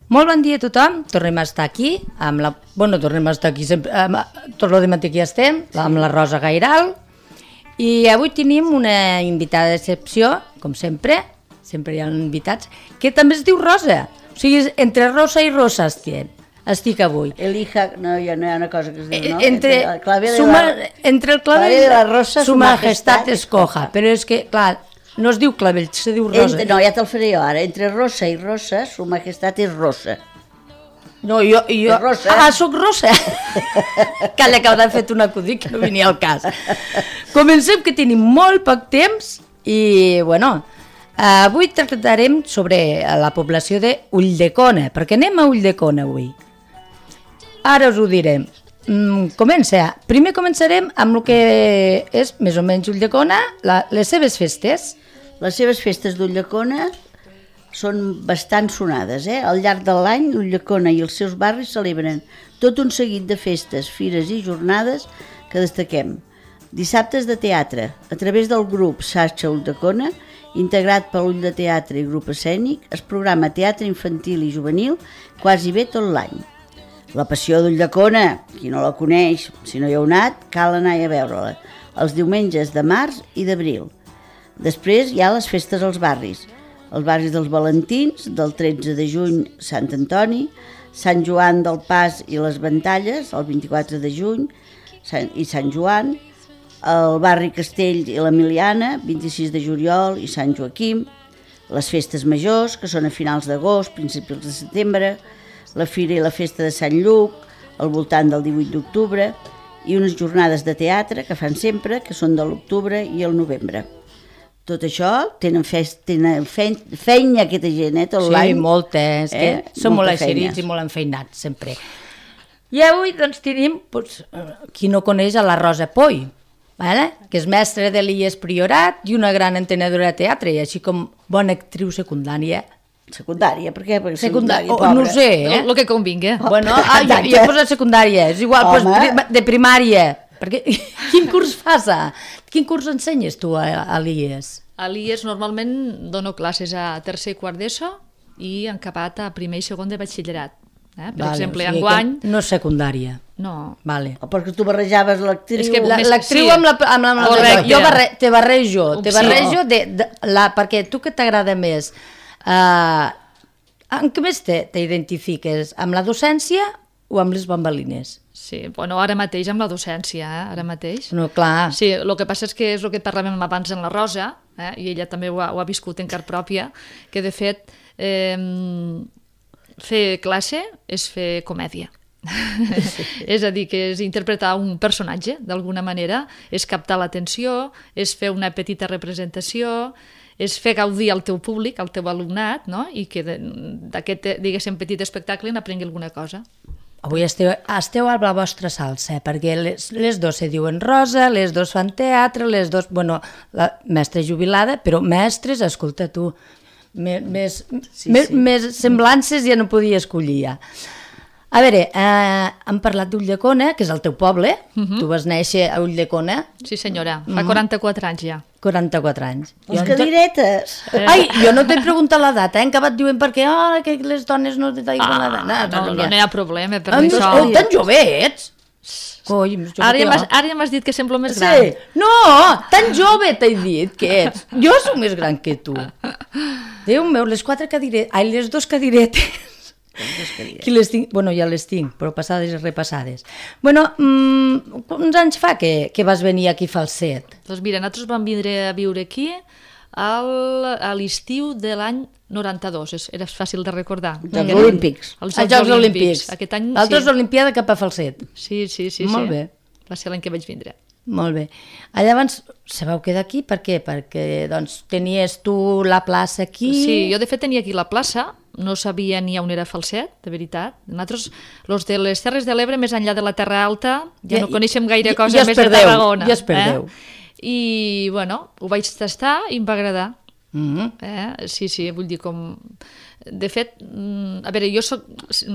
Molt bon dia a tothom, tornem a estar aquí, tornem a estar aquí sempre, tot el matí aquí estem, amb la Rosa Gairal, i avui tenim una invitada d'excepció, com sempre hi ha invitats, que també es diu Rosa, o sigui, entre Rosa i Rosa estic avui. Elija, no hi ha una cosa que es diu, no? Entre el clave de la Rosa, su majestat escoja, però és que, clar, no es diu clavell, se diu Rosa. No, ja te'l faré jo ara. Entre Rosa i Rosa, su majestat és Rosa. No, jo... Rosa. Soc Rosa. Calla, que haurà fet un acudit que no venia al cas. Comencem, que tenim molt poc temps i, bueno, avui tractarem sobre la població de Ulldecona, perquè anem a Ulldecona avui. Ara us ho direm. Primer començarem amb el que és més o menys Ulldecona, les seves festes. Les seves festes d'Ulldecona són bastant sonades, Al llarg de l'any, Ulldecona i els seus barris celebren tot un seguit de festes, fires i jornades que destaquem. Dissabtes de teatre, a través del grup Xarxa Ulldecona, integrat per l'Ull de Teatre i grup escènic, es programa teatre infantil i juvenil quasi bé tot l'any. La Passió d'Ulldecona, qui no la coneix, si no hi heu anat, cal anar a veure-la, els diumenges de març i d'abril. Després hi ha les festes als barris dels Valentins, del 13 de juny Sant Antoni, Sant Joan del Pas i les Ventalles, el 24 de juny, i Sant Joan, el barri Castell i l'Emiliana, 26 de juliol i Sant Joaquim, les festes majors, que són a finals d'agost, principis de setembre, la fira i la festa de Sant Lluc, al voltant del 18 d'octubre, i unes jornades de teatre que fan sempre, que són de l'octubre i el novembre. Tot això, tenen feina aquesta gent, tot l'any. Sí, molta, és que són molt eixerits i molt enfeinats, sempre. I avui, doncs, tenim, qui no coneix a la Rosa Poy, que és mestra de l'IES Priorat i una gran entenedora de teatre, i així com bona actriu secundària. Secundària, per què? Secundària, no ho sé, el que convingui. Bueno, jo he posat secundària, és igual, de primària. Perquè, quin curs fas? Quin curs ensenyes tu a l'IES? A l'IES normalment dono classes a tercer i quart d'ESO i en acabat a primer i segon de batxillerat. Per exemple, enguany... No és secundària. No. Vale. Perquè tu barrejaves l'actriu... L'actriu amb la... Jo te barrejo, perquè tu que t'agrada més... En què més t'identifiques? Amb la docència o amb les bambalines? Sí, bueno, ara mateix amb la docència, ara mateix. No, clar. Sí, el que passa és que és el que parlàvem abans en la Rosa, i ella també ho ha viscut en car pròpia, que de fet fer classe és fer comèdia. És a dir, que és interpretar un personatge, d'alguna manera, és captar l'atenció, és fer una petita representació, és fer gaudir al teu públic, al teu alumnat, no? I que d'aquest, diguéssim, petit espectacle n'aprengui alguna cosa. Avui esteu a la vostra salsa, perquè les dos se diuen Rosa, les dos fan teatre, les dos... Bueno, la mestra jubilada, però mestres, escolta tu, més semblances ja no podia escollir ja. A veure, hem parlat d'Ulldecona, que és el teu poble, tu vas néixer a Ulldecona. Sí senyora, fa 44 anys ja. 44 anys. Les cadiretes! Ai, jo no t'he preguntat l'edat, que acabat diuen perquè que les dones no t'hi diuen l'edat. No hi ha problema per això. Oh, tan jove ets! Ara ja m'has dit que semblo més gran. Sí, no, tan jove t'he dit que ets. Jo soc més gran que tu. Déu meu, les dos cadiretes. Qui les tinc? Bueno, ja les tinc, però passades i repassades. Bueno, quants anys fa que vas venir aquí a Falset? Doncs mira, nosaltres vam vindre a viure aquí a l'estiu de l'any 92, era fàcil de recordar. Els Olímpics. Els Jocs Olímpics. Aquest any, L'altres Olimpiada cap a Falset. Sí. Molt bé. Va ser l'any que vaig vindre. Molt bé. Llavors, se vau quedar aquí per què? Perquè doncs, tenies tu la plaça aquí... Sí, jo de fet tenia aquí la plaça, no sabia ni on era Falset, de veritat. Nosaltres, els de les Terres de l'Ebre, més enllà de la Terra Alta, ja no coneixem gaire cosa més de Tarragona. Ja es perdeu. I, bueno, ho vaig tastar i em va agradar. Sí, vull dir com... De fet, a veure, jo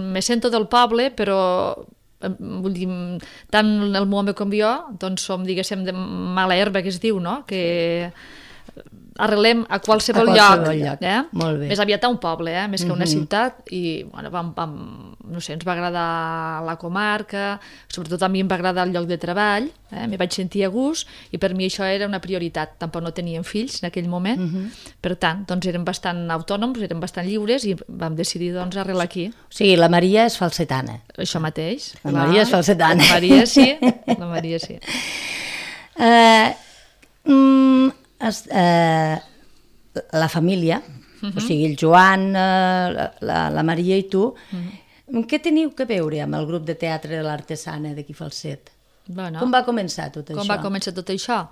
me sento del poble, però... vull dir, tant el meu home com jo doncs som, diguéssim, de mala herba, que es diu, no? Que arrelem a qualsevol lloc. Molt bé. Més aviat a un poble, més que a una ciutat, i bueno, no sé, ens va agradar la comarca, sobretot a mi em va agradar el lloc de treball, m'hi vaig sentir a gust, i per mi això era una prioritat. Tampoc no teníem fills en aquell moment, per tant, doncs érem bastant autònoms, érem bastant lliures, i vam decidir doncs arrelar aquí. O sigui, la Maria és falsetana. Això mateix. La Maria és falsetana. La Maria sí, la Maria sí. La família, o sigui, el Joan, la Maria i tu, què teniu que veure amb el grup de teatre de l'Artesana d'aquí Falset? Bueno, com va començar tot això? Com va començar tot això?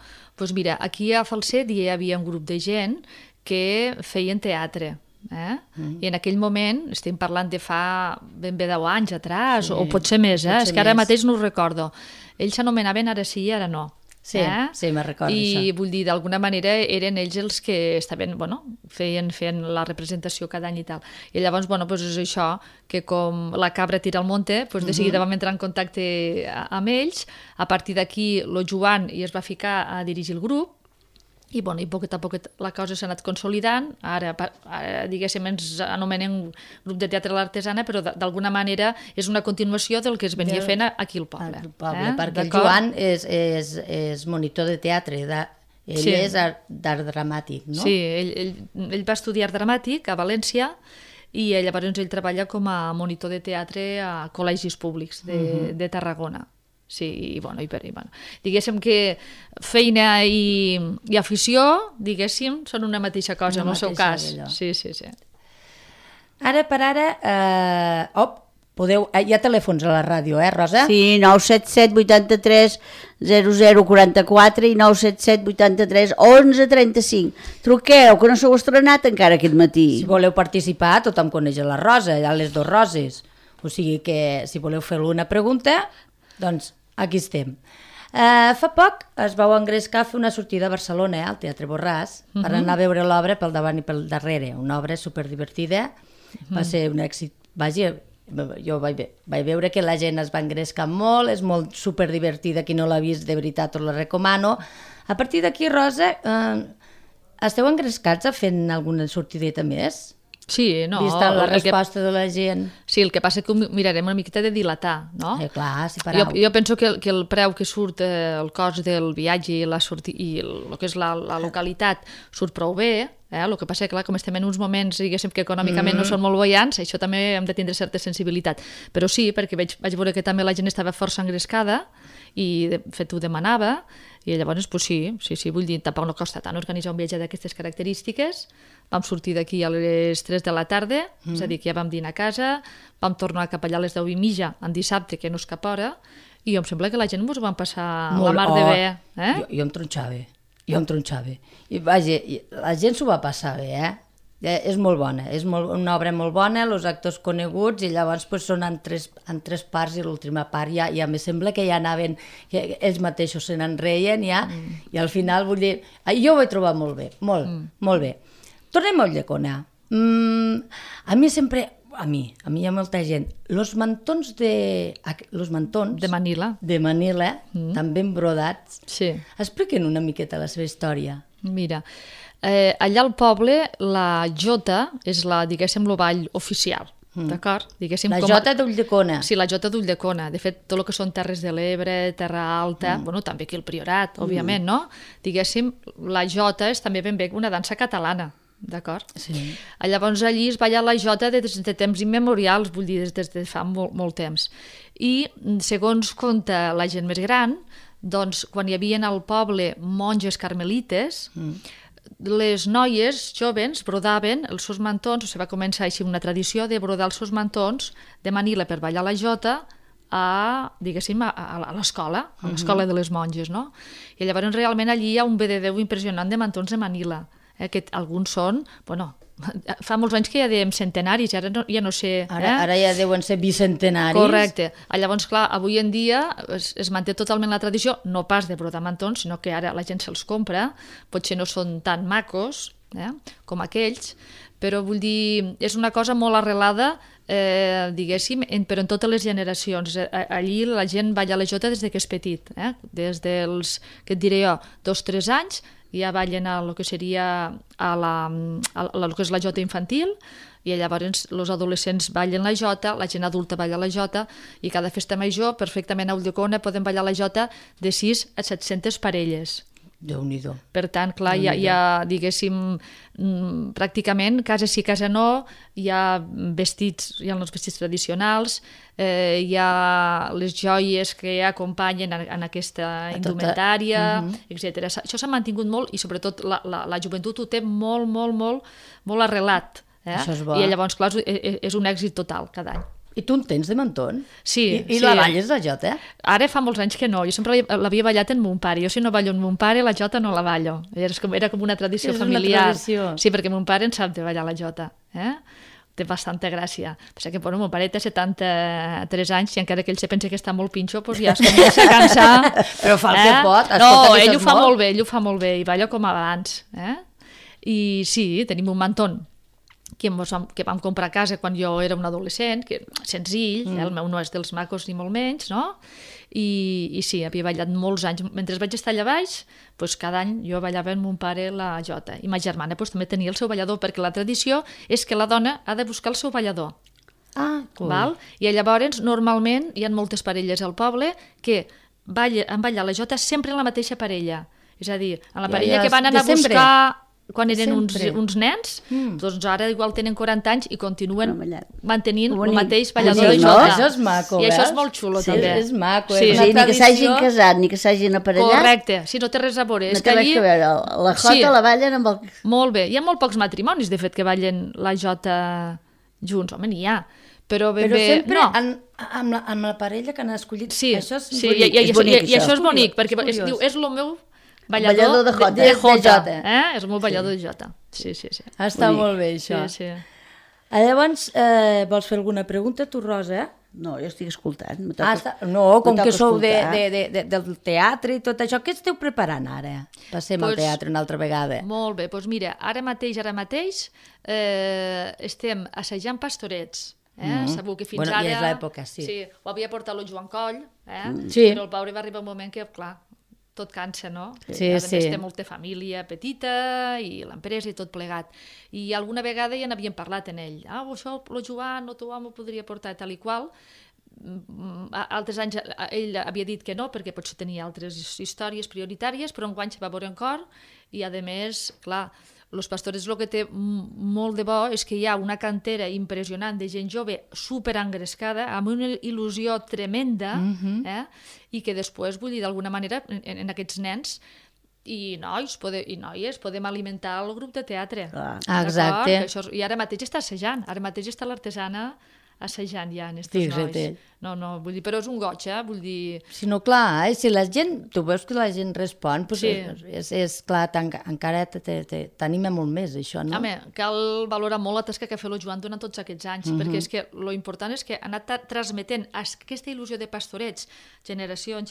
Doncs mira, aquí a Falset hi havia un grup de gent que feien teatre. I en aquell moment, estem parlant de fa ben bé 10 anys atràs, o potser més, és que ara mateix no ho recordo. Ells s'anomenaven Ara sí i ara no. Sí, me'n recordo això. I vull dir, d'alguna manera eren ells els que estaven, feien la representació cada any i tal. I llavors, és això, que com la cabra tira al monte, de seguida vam entrar en contacte amb ells. A partir d'aquí, el Joan es va ficar a dirigir el grup, i poquet a poquet la cosa s'ha anat consolidant. Ara diguéssim, ens anomenem grup de teatre de l'Artesana, però d'alguna manera és una continuació del que es venia fent aquí al poble. Perquè el Joan és monitor de teatre, ell és d'art dramàtic, no? Sí, ell va estudiar art dramàtic a València, i llavors ell treballa com a monitor de teatre a col·legis públics de Tarragona. Sí, i diguéssim que feina i afició, diguéssim, són una mateixa cosa, en el seu cas. Sí. Ara per ara, hi ha telèfons a la ràdio, Rosa? Sí, 977 83 0044 i 977 83 11 35. Truqueu, que no s'heu estrenat encara aquest matí. Si voleu participar, tothom coneix la Rosa, hi ha les dues Roses. O sigui que si voleu fer una pregunta, doncs aquí estem. Fa poc es vau engrescar a fer una sortida a Barcelona, al Teatre Borràs, per anar a veure l'obra pel davant i pel darrere. Una obra superdivertida, va ser un èxit. Vaja, jo vaig veure que la gent es va engrescar molt, és molt superdivertida, qui no l'ha vist de veritat us la recomano. A partir d'aquí, Rosa, esteu engrescats a fent alguna sortideta més? Sí, no. Vista la resposta de la gent. Sí, el que passa és que ho mirarem una miqueta de dilatar, no? Clar, si per jo penso que el preu que surt, el cost del viatge i el que és la localitat surt prou bé. El que passa és que, clar, com estem en uns moments, diguéssim, que econòmicament no són molt boiants, això també hem de tindre certa sensibilitat. Però sí, perquè vaig veure que també la gent estava força engrescada i de fet ho demanava, i llavors sí, vull dir, tampoc no costa tant organitzar un viatge d'aquestes característiques. Vam sortir d'aquí a les 3 de la tarda, és a dir, que ja vam dinar a casa, vam tornar cap allà a les 10:30 en dissabte, que no és cap hora, i em sembla que la gent ens ho van passar la mar de bé. Jo em tronxava. I vaja, la gent s'ho va passar bé, és molt bona, és una obra molt bona, els actors coneguts, i llavors són en tres parts, i l'última part ja me sembla que ja anaven, que ells mateixos se n'enreien ja, i al final vull dir, jo ho vaig trobar molt bé, molt bé. Tornem a Ulldecona. A mi sempre, a mi hi ha molta gent, los mantons de Manila, també embrodats, sí. Expliquen una miqueta la seva història. Mira, allà al poble la jota és diguéssim, el ball oficial, d'acord? La jota d'Ulldecona. Sí, la jota d'Ulldecona. De fet, tot el que són Terres de l'Ebre, Terra Alta, també aquí el Priorat, òbviament, no? Diguéssim, la jota és també ben bé una dansa catalana, d'acord? Sí. Llavors allí es balla la jota des de temps immemorials, vull dir, des de fa molt temps. I, segons conta la gent més gran, doncs, quan hi havia al poble monges carmelites, les noies joves brodaven els seus mantons, o sigui, va començar així una tradició de brodar els seus mantons de Manila per ballar la jota diguéssim, a l'escola, a l'escola de les monges, no? I llavors realment allí hi ha un vededeu impressionant de mantons de Manila, que alguns són, fa molts anys que ja dèiem centenaris, ara ja no sé... Ara ja deuen ser bicentenaris. Correcte. Llavors, clar, avui en dia es manté totalment la tradició, no pas de brodar mantons, sinó que ara la gent se'ls compra, potser no són tan macos, com aquells, però vull dir, és una cosa molt arrelada, diguéssim, però en totes les generacions. Allí la gent balla la jota des que és petit, des dels, què et diré jo, 2-3 anys, ja ballen a lo que seria lo que és la jota infantil, i llavors els adolescents ballen la jota, la gent adulta balla la jota, i cada festa major, perfectament a Ulldecona, poden ballar la jota de 6 a 700 parelles. Déu-n'hi-do. Per tant, clar, hi ha, diguéssim, pràcticament, casa sí, casa no, hi ha vestits, hi ha els vestits tradicionals, hi ha les joies que acompanyen en aquesta indumentària, etc. Això s'ha mantingut molt i sobretot la joventut ho té molt, molt, molt, molt arrelat. Això és bo. I llavors, clar, és un èxit total cada any. I tu en tens de Menton? Sí. I la balles, la jota? Ara fa molts anys que no, jo sempre l'havia ballat en mon pare. Jo si no ballo en mon pare, la jota no la ballo. Era com una tradició familiar. És una tradició. Sí, perquè mon pare en sap de ballar la jota. Té bastanta gràcia. Pensa que, bueno, mon pare té 73 anys i encara que ell se pensa que està molt pinxo, doncs ja es comença a cansar. Però fa el que pot. No, ell ho fa molt bé, i balla com abans. I sí, tenim un mantón que vam comprar a casa quan jo era un adolescent, que senzill, el meu no és dels macos ni molt menys, no? I sí, havia ballat molts anys. Mentre vaig estar allà baix, doncs cada any jo ballava amb mon pare la jota. I ma germana també tenia el seu ballador, perquè la tradició és que la dona ha de buscar el seu ballador. Ah, cool. Val? I llavors, normalment, hi ha moltes parelles al poble que han ballat la jota sempre en la mateixa parella. És a dir, en la parella que van anar a buscar quan eren uns nens, doncs ara igual tenen 40 anys i continuen mantenint el mateix ballador de jota. Això és maco, i això és molt xulo, també. És maco, és una tradició. Ni que s'hagin casat, ni que s'hagin aparellat. Correcte, si no té res a veure. No té res a veure, la jota la ballen amb el... Molt bé, hi ha molt pocs matrimonis, de fet, que ballen la jota junts. Home, n'hi ha. Però sempre amb la parella que han escollit. Sí, això és bonic. I això és bonic, perquè és el meu ballador de jota. És molt ballador de jota. Sí. Està molt bé, això. Sí. Llavors, vols fer alguna pregunta, tu, Rosa? No, jo estic escoltant. No, com que sou del teatre i tot això, què esteu preparant ara? Passem al teatre una altra vegada. Molt bé, doncs mira, ara mateix estem assajant Pastorets. Segur que fins ara... Bueno, i és l'època, sí. Sí, ho havia portat el Joan Coll, Sí. però el pobre va arribar un moment que, clar, tot cansa, no? Sí. A més té molta família petita i l'empresa i tot plegat. I alguna vegada ja n'havíem parlat en ell. Això el Joan o tu m'ho podria portar tal i qual. Altres anys ell havia dit que no, perquè potser tenia altres històries prioritàries, però enguany se va veure en cor i, a més, clar, Los Pastores el que té molt de bo és que hi ha una cantera impressionant de gent jove superengrescada, amb una il·lusió tremenda, i que després, vull dir, d'alguna manera, en aquests nens i nois i noies podem alimentar el grup de teatre. Exacte. I ara mateix està assajant, ara mateix està l'artesana assajant ja en aquests nois. No, vull dir, però és un goig, vull dir... Si no, clar, si la gent, tu veus que la gent respon, és clar, encara t'anima molt més, això, no? Home, cal valorar molt la tasca que ha fet el Joan durant tots aquests anys, perquè és que lo important és que ha anat transmetent aquesta il·lusió de Pastorets, generació en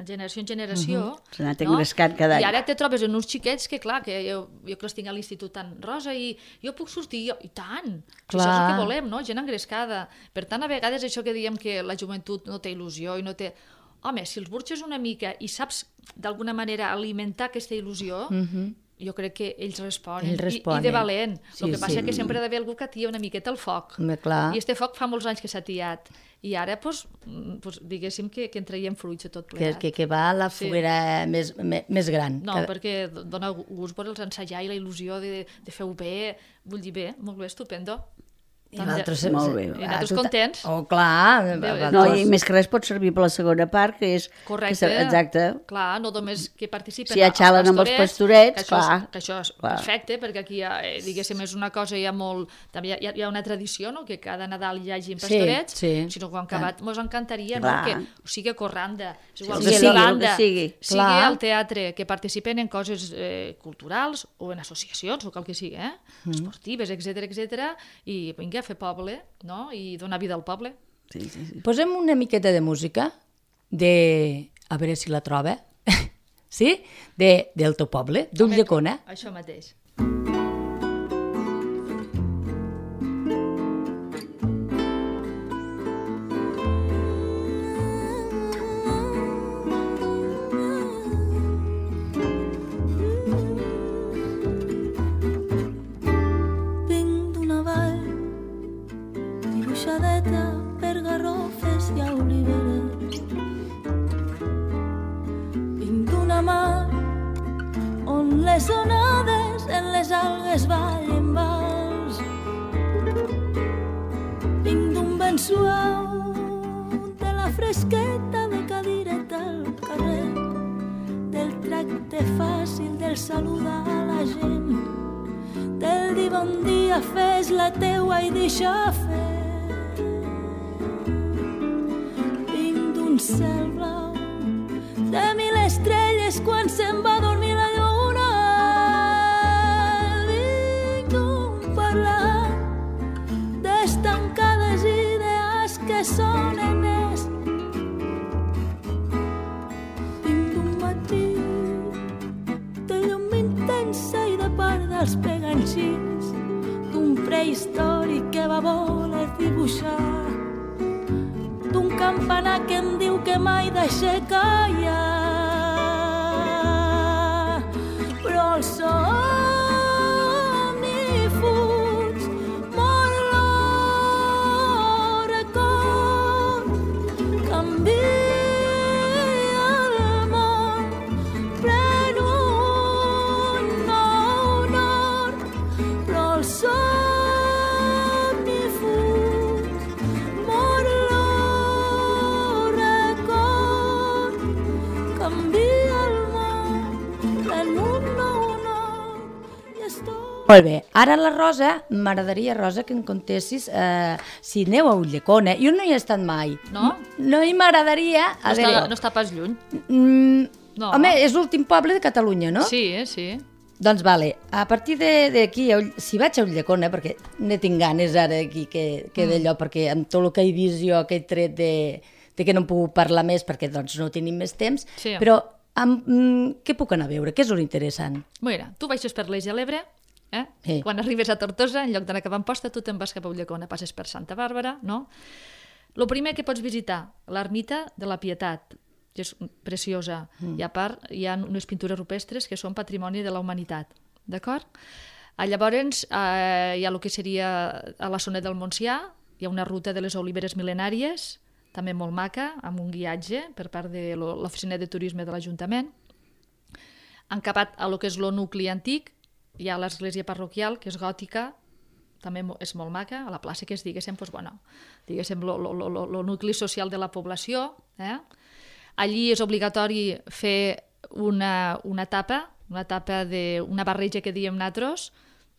generació, s'ha anat engrescant cada any. I ara te trobes en uns xiquets que, clar, que jo que els tinc a l'institut tan rosa i jo puc sortir, i tant, això és el que volem, no? Gent engrescada. Per tant, a vegades això que diem que la joventut no té il·lusió i no té... Home, si els burxes una mica i saps d'alguna manera alimentar aquesta il·lusió, jo crec que ells responen. I de valent. El que passa és que sempre ha d'haver algú que atia una miqueta el foc. I este foc fa molts anys que s'ha tiat. I ara, diguéssim que en traiem fruits de tot plegat. Que va a la foguera més gran. No, perquè dona gust veure'ls ensajar i la il·lusió de fer-ho bé. Vull dir, bé, molt bé, estupendo. I molt bé. I nosaltres contents. Oh, clar. No, i més que res pot servir per la segona part, que és... Correcte. Exacte. Clar, no només que participen si ja xalen amb els pastorets, clar. Que això és perfecte, perquè aquí, diguéssim, és una cosa ja molt... També hi ha una tradició, no?, que cada Nadal hi hagi pastorets, sinó que quan acabat mos encantaria, no?, que o sigui a Corranda, és igual que banda, sigui al teatre, que participen en coses culturals o en associacions, o qual que sigui, esportives, etcètera, i vinga, fer poble, no?, i donar vida al poble. Posem una miqueta de música a veure si la troba, sí? Del teu poble, d'Ulldecona. Això mateix. les onades en les algues ballen vals. Vinc d'un vent suau de la fresqueta de cadireta al carrer, del tracte fàcil del saludar a la gent, del dir bon dia, fes la teua i deixa fer. Vinc d'un cel blau de 1000 estrelles quan se'n va dormir la lluna. Vinc d'un parlar d'estancades idees que són enès. Vinc d'un matí de llum intensa i de part dels peganxins, d'un prehistòric que va voler dibuixar, d'un campanar que em diu que mai deixe callar. Però el somni fuig, mor el record, canvia el món, pren un nou nord. Però el somni fuig, mor el record, canvia el món, pren un nou nord i és tot. Molt bé, ara la Rosa, m'agradaria, Rosa, que em contessis si aneu a Ulldecona. Jo no hi he estat mai. No? No, i m'agradaria... No està pas lluny. No. Home, és l'últim poble de Catalunya, no? Sí, sí. Doncs vale, a partir d'aquí, si vaig a Ulldecona, perquè ne tinc ganes ara aquí que d'allò, perquè amb tot el que he vist jo, que he tret de que no em puc parlar més perquè doncs no tenim més temps, Sí. però què puc anar a veure? Què és l'interessant? Mira, tu baixes per l'Eix de l'Ebre, Sí. quan arribes a Tortosa, en lloc d'anar cap a Amposta, tu te'n vas cap a Ulldecona, passes per Santa Bàrbara, no? El primer que pots visitar, l'ermita de la Pietat, que és preciosa, i a part hi ha unes pintures rupestres que són patrimoni de la humanitat, d'acord? Llavors hi ha el que seria a la zona del Montsià, hi ha una ruta de les oliveres mil·lenàries, també molt maca, amb un guiatge per part de l'oficina de turisme de l'Ajuntament. Encapat a lo que és el nucli antic, hi ha l'església parroquial, que és gòtica, també és molt maca, a la plaça que és, diguéssim, doncs, bueno, diguéssim, el nucli social de la població. Allí és obligatori fer una tapa d'una barreja que diem nosaltres,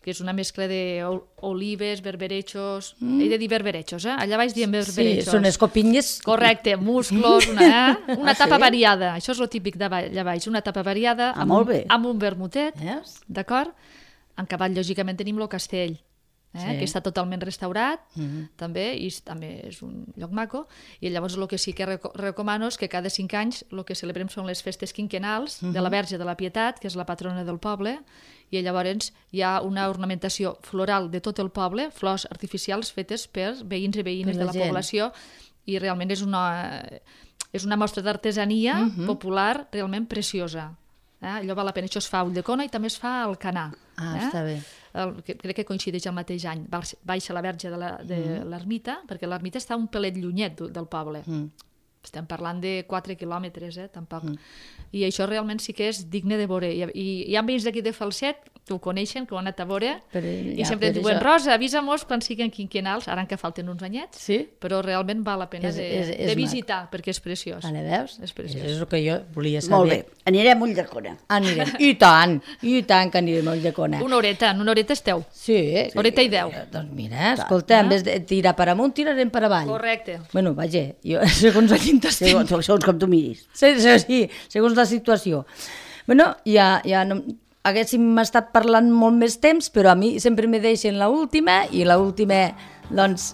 que és una mescla d'olives, berberechos, he de dir berberechos, allà baix diem berberechos. Sí, són escopinyes. Correcte, musclos, una tapa variada, això és el típic d'allà baix, una tapa variada molt bé. amb un vermutet, Veus? d'acord? En cavall, lògicament, tenim el castell, que està totalment restaurat, també, i també és un lloc maco, i llavors el que sí que recomano és que cada 5 anys el que celebrem són les festes quinquennals de la Verge de la Pietat, que és la patrona del poble, i llavors hi ha una ornamentació floral de tot el poble, flors artificials fetes per veïns i veïnes Per de la la gent. població, i realment és una mostra d'artesania popular realment preciosa. Allò val la pena. Això es fa a Ulldecona i també es fa a Alcanar. Està bé. Crec que coincideix el mateix any. Baixa la Verge de l'ermita, perquè l'ermita està un pelet llunyet del poble. Estem parlant de 4 quilòmetres, tampoc. I això realment sí que és digne de veure. I hi ha veïns d'aquí de Falset que ho coneixen, que ho han anat a veure, i sempre diuen, Rosa, avisa-mos quan siguin quinquennals, ara que falten uns anyets, Sí? però realment val la pena de visitar, perquè és preciós. Vale, veus? És preciós. És el que jo volia saber. Molt bé, anirem a Ulldecona. Anirem. I tant que anirem a Ulldecona. En una horeta esteu. Sí. Horeta i 10. Doncs mira, escolta, en vez de tirar per amunt, tirarem per avall. Correcte. Bueno, vaja, jo, segons a quin t'estic. Segons com tu miris. Sí, segons la situació. Bueno, ja no, haguéssim estat parlant molt més temps, però a mi sempre me deixen l'última, i l'última, doncs,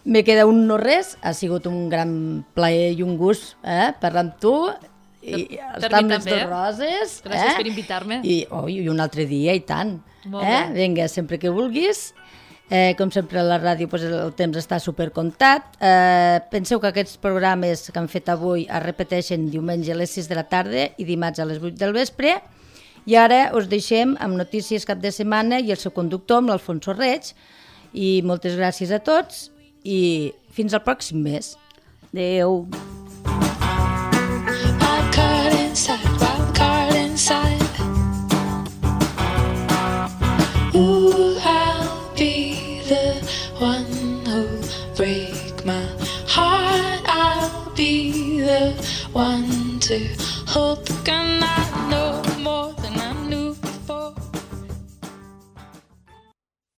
me queda un no res. Ha sigut un gran plaer i un gust parlar amb tu, i estar amb les dues Roses. Gràcies per invitar-me. I un altre dia, i tant. Molt bé. Vinga, sempre que vulguis. Com sempre a la ràdio doncs el temps està supercomptat. Penseu que aquests programes que han fet avui es repeteixen diumenge a les 6 de la tarda i dimarts a les 8 del vespre. I ara us deixem amb notícies cap de setmana i el seu conductor, amb l'Alfonso Reig. I moltes gràcies a tots i fins al pròxim mes. Adéu. Wild card inside, one who'll break my heart. I'll be the one to hold the gun. I know